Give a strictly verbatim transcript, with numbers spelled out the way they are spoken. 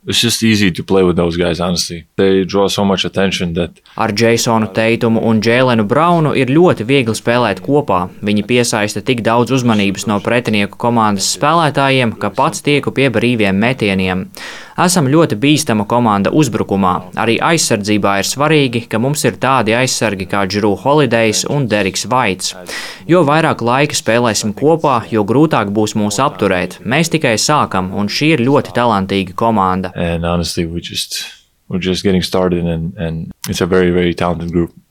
It's just easy to play with those guys, honestly. They draw so much attention that... Ar Jasonu Teitumu un Jēlenu Braunu ir ļoti viegli spēlēt kopā. Viņi piesaista tik daudz uzmanības no pretinieku komandas spēlētājiem, ka pats tieku pie brīviem metieniem. Esam ļoti bīstama komanda uzbrukumā. Arī aizsardzībā ir svarīgi, ka mums ir tādi aizsargi kā Jrue Holidejs un Deriks Vaits. Jo vairāk laika spēlēsim kopā, jo grūtāk būs mūs apturēt. Mēs tikai sākam, un šī ir ļoti talantīga komanda. And honestly, we just, we're just getting started, and, and it's a very, very talented group.